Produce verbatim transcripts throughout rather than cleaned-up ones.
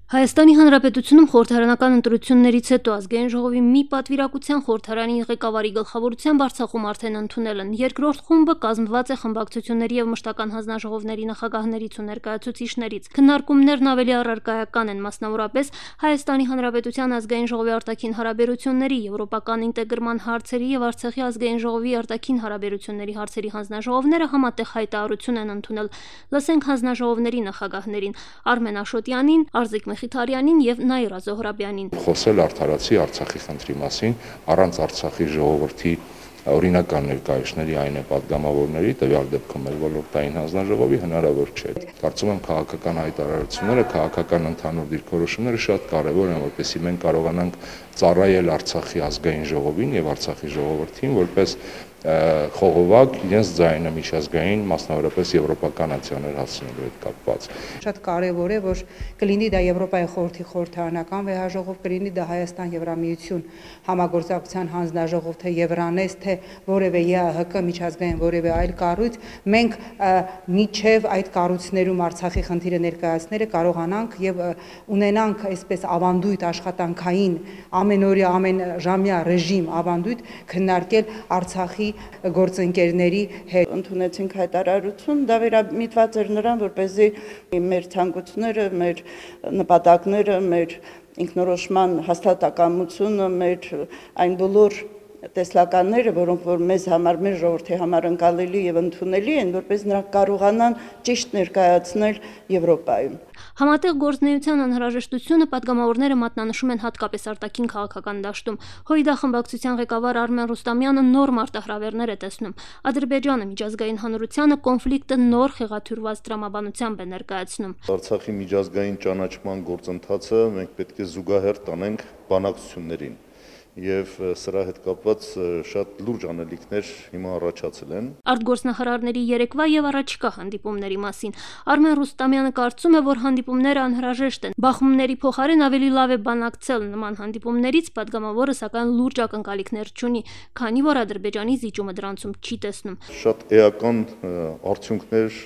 Հայաստանի Հանրապետությունում խորհրդարանական ընտրություններից հետո ազգային ժողովի մի պատվիրակության խորհրդարանի ղեկավարի գլխավորությամբ Արցախում արդեն ընդունել են։ Երկրորդ խումբը կազմված է խմբակցությունների եւ մշտական հանձնաժողովների նախագահներից ու ներկայացուցիչներից։ Քննարկումներն ավելի առարկայական են, մասնավորապես Հայաստանի Հանրապետության ազգային ժողովի արտաքին հարաբերությունների, եվրոպական ինտեգրման հարցերի եւ Արցախի ազգային ժողովի արտաքին հարաբերությունների հարցերի հանձնաժողովները համատեղ հայտարարություն են ընդունել։ Լսենք հանձնաժողովների նախագահներին՝ Արմեն Աշոտյանին, Արզիկ Մեխիթարյանին եւ Նաիրա Զոհրաբյանին։ Խոսել արդարացի Արցախի խնդրի մասին, առանց Արցախի ժողովրդի օրինական ներկայացների այն է պատգամավորների, տվյալ դեպքում էլ ոլորտային հանձնաժողովի հնարավոր չէ։ Կարծում եմ քաղաքական հայտարարությունները, քաղաքական ընդհանուր դիրքորոշումները շատ կարևոր են, որպեսզի մենք կարողանանք ծառայել Արցախի ազգային ժողովին եւ Արցախի ժողովրդին որպես խողովակ իրենց ձայնը միջազգային, մասնավորապես եվրոպական ացիաներ հասցնելու հետ կապված։ Շատ կարևոր է, որ կլինի դա Եվրոպայի խորհրդի խորհրդարանական վեհաժողով, կլինի դա Հայաստան-Եվրամիություն համագործակցության հանձնաժողով, թե Եվրանես, թե որևէ ԵԱՀԿ միջազգային որևէ այլ կառույց, մենք միջև այդ կառույցներում Արցախի խնդիրը ներկայացնելը կարողանանք եւ ունենանք այսպես ավանդույթ աշխատանքային ամենօրյա ամենժամյա ռեժիմ ավանդույթ քննարկել Արցախի գործընկերների հետ։ Ընդունեցինք հայտարարություն, դա վերամիտված էր նրան, որպեսզի մեր ցանկությունները, մեր նպատակները, մեր ինքնորոշման հաստատակամությունը, մեր այն բոլոր տեսլականները, որոնք որ մեզ համար, մեր ժողովրդի համար ընկալելի եւ ընդունելի են, որպես նրանք կարողանան ճիշտ ներկայացնել Եվրոպայում։ Համատեղ գործնեայության անհրաժեշտությունը պատգամավորները մատնանշում են հատկապես արտաքին քաղաքական դաշտում։ Հույդա խմբակցության ղեկավար Արմեն Ռուստամյանը նոր մարտահրավերներ է տեսնում։ Ադրբեջանը միջազգային հանրությանը կոնֆլիկտը նոր խեղաթյուրված տրամաբանությամբ է ներկայացնում։ Արցախի միջազգային ճանաչման գործընթացը մենք պետք է զուգահեռ տանենք բանակցություններին։ Եվ սրա հետ կապված շատ լուրջ անելիքներ հիմա առաջացել են։ Արտգործնախարարների երեկվա եւ առաջիկա հանդիպումների մասին Արմեն Ռուստամյանը կարծում է, որ հանդիպումները անհրաժեշտ են։ Բախումների փոխարեն ավելի լավ է բանակցել նման հանդիպումներից, պատգամավորը սակայն լուրջ ակնկալիքներ չունի, քանի որ Ադրբեջանի զիջումը դրանցում չի տեսնում։ Շատ էական արդյունքներ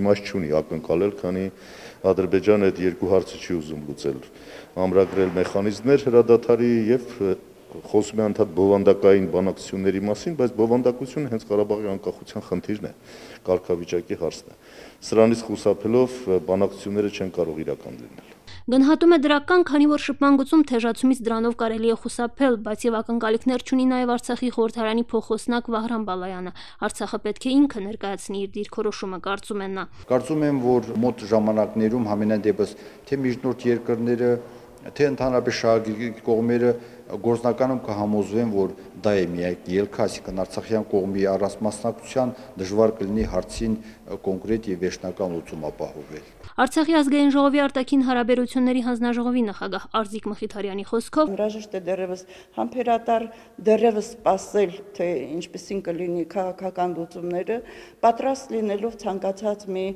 իմաստ չունի ակնկալել, քանի Ադրբեջանը այդ երկու հարցը չի ուզում լուծել, ամրագրել մեխանիզմներ հրադադարի եւ խոսում է անդադ բովանդակային բանակցությունների մասին, բայց բովանդակությունը հենց Ղարաբաղի անկախության խնդիրն է, կարգավիճակի հարցն է։ Սրանից խուսափելով բանակցությունները չեն կարող իրական լինել։ Գնահատում է դրական, քանի որ շփման գծում թեժացումից դրանով կարելի է խուսափել, բայց եւ ակնկալիքներ չունի նաեւ Արցախի խորհրդարանի փոխոսնակ Վահրամ Բալայանը։ Արցախը պետք է ինքը ներկայացնի իր դիրքորոշումը, կարծում է նա։ Կարծում եմ, որ մոտ ժամանակներում համենայն դեպս թե միջնորդ երկրները, թե ընդհանրապես շահագրգիռ կողմերը գործնականում կհամոզվեն, որ դա է միակ ելքը, այսինքն Արցախյան կողմի առանց մասնակցության դժվար կլինի հարցին կոնկրետ եւ վերջնական լուծում ապահովել։ Արցախի ազգային ժողովի արտաքին հարաբերությունների հանձնաժողովի նախագահ Արզիկ Մեխիթարյանի խոսքով հրաժեշտ է դեռևս համբերատար, դեռևս սպասել, թե ինչպեսին կլինի քաղաքական լուծումները, պատրաստ լինելով ցանկացած մի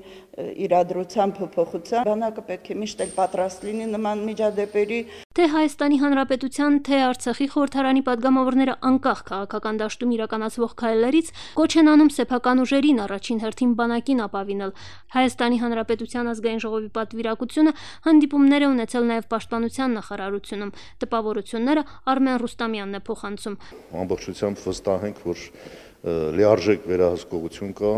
իրադրության փոփոխության, բանակը պետք է միշտ էլ պատրաստ լինի նման միջադեպերի։ Թե Հայաստանի Հանրապետության, թե Արցախի խորհրդարանի պատգամավորները անկախ քաղաքական դաշտում իրականացվող քայլերից կոչ են անում սեփական ուժերին առաջին հերթին բանակին ապավինել։ Հայաստանի Հանրապետության ազգային ժողովի պատվիրակությունը հանդիպումներ է ունեցել նաև պաշտպանության նախարարությունում։ Տպավորությունները Արմեն Ռուստամյանն է փոխանցում։ Ամբողջությամբ վստահ ենք, որ լիարժեք վերահսկողություն կա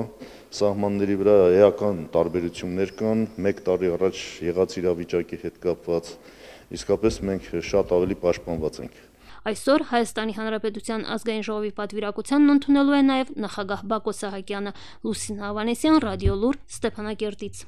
սահմանների վրա, էական տարբերություններ կան մեկ տարի առաջ եղած իրավիճակի հետ կապված, իսկապես մենք շատ ավելի պաշտպանված ենք։ Այսօր Հայաստանի Հանրապետության ազգային ժողովի պատվիրակությանն ընդունելու է նաև նախագահ Բակո Սահակյանը։ Լուսինե Ավանեսյան, Ռադիոլուր, Ստեփանակերտից։